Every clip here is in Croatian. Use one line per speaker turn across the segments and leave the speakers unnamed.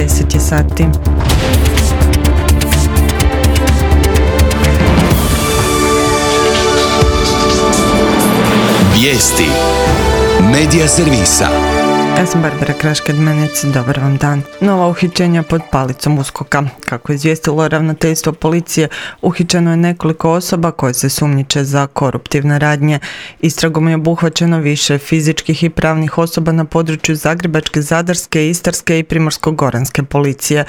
10 je sati.
Vijesti Medija servisa.
Ja sam Barbara Kraškad-Menec, dobar vam dan. Nova uhićenja pod palicom USKOK-a. Kako je izvijestilo ravnateljstvo policije, uhićeno je nekoliko osoba koje se sumnjiče za koruptivne radnje. Istragom je obuhvaćeno više fizičkih i pravnih osoba na području Zagrebačke, Zadarske, Istarske i Primorsko-goranske policije.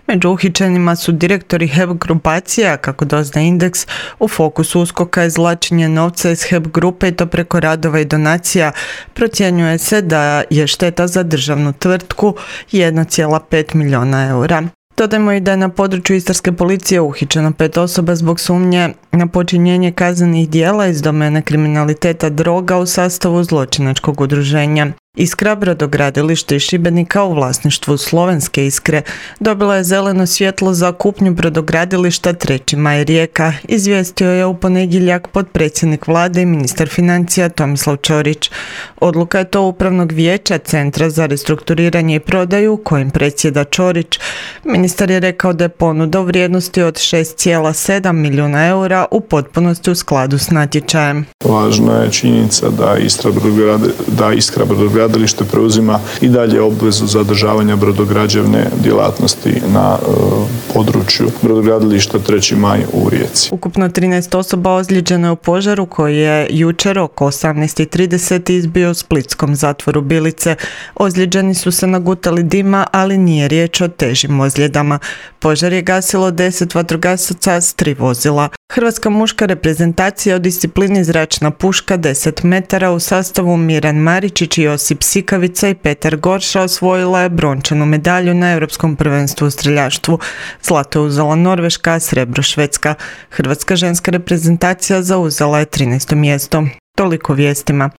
Među uhićenima su direktori HEP grupacije, a kako doznaje Indeks, u fokusu USKOK-a je izvlačenje novca iz HEP grupe i to preko radova i donacija. Procjenjuje se da je šteta za državnu tvrtku 1,5 milijuna eura. Dodajmo i da je na području Istarske policije uhićeno 5 osoba zbog sumnje na počinjenje kaznenih djela iz domene kriminaliteta droga u sastavu zločinačkog udruženja. Iskra, brodogradilište iz Šibenika u vlasništvu Slovenske Iskre, dobila je zeleno svjetlo za kupnju brodogradilišta 3. Maj Rijeka, izvijestio je u ponedjeljak potpredsjednik vlade i ministar financija Tomislav Ćorić. Odluka je to upravnog vijeća Centra za restrukturiranje i prodaju kojim predsjeda Ćorić. Ministar je rekao da je ponuda u vrijednosti od 6,7 milijuna eura u potpunosti u skladu s natječajem.
Važna je činjenica da Iskra brodogradilište preuzima i dalje obvezu zadržavanja brodograđevne djelatnosti na području brodogradilišta 3. Maj u Rijeci.
Ukupno 13 osoba ozlijeđeno je u požaru koji je jučer oko 18:30 izbio u splitskom zatvoru Bilice. Ozlijeđeni su se nagutali dima, ali nije riječ o težim ozljedama. Požar je gasilo 10 vatrogasaca s 3 vozila. Hrvatska muška reprezentacija u disciplini zračna puška 10 metara u sastavu Miran Maričić, Josip Sikavica i Petar Gorša osvojila je brončanu medalju na Europskom prvenstvu u streljaštvu. Zlato je uzela Norveška, a srebro Švedska. Hrvatska ženska reprezentacija zauzela je 13. mjesto. Toliko vijestima.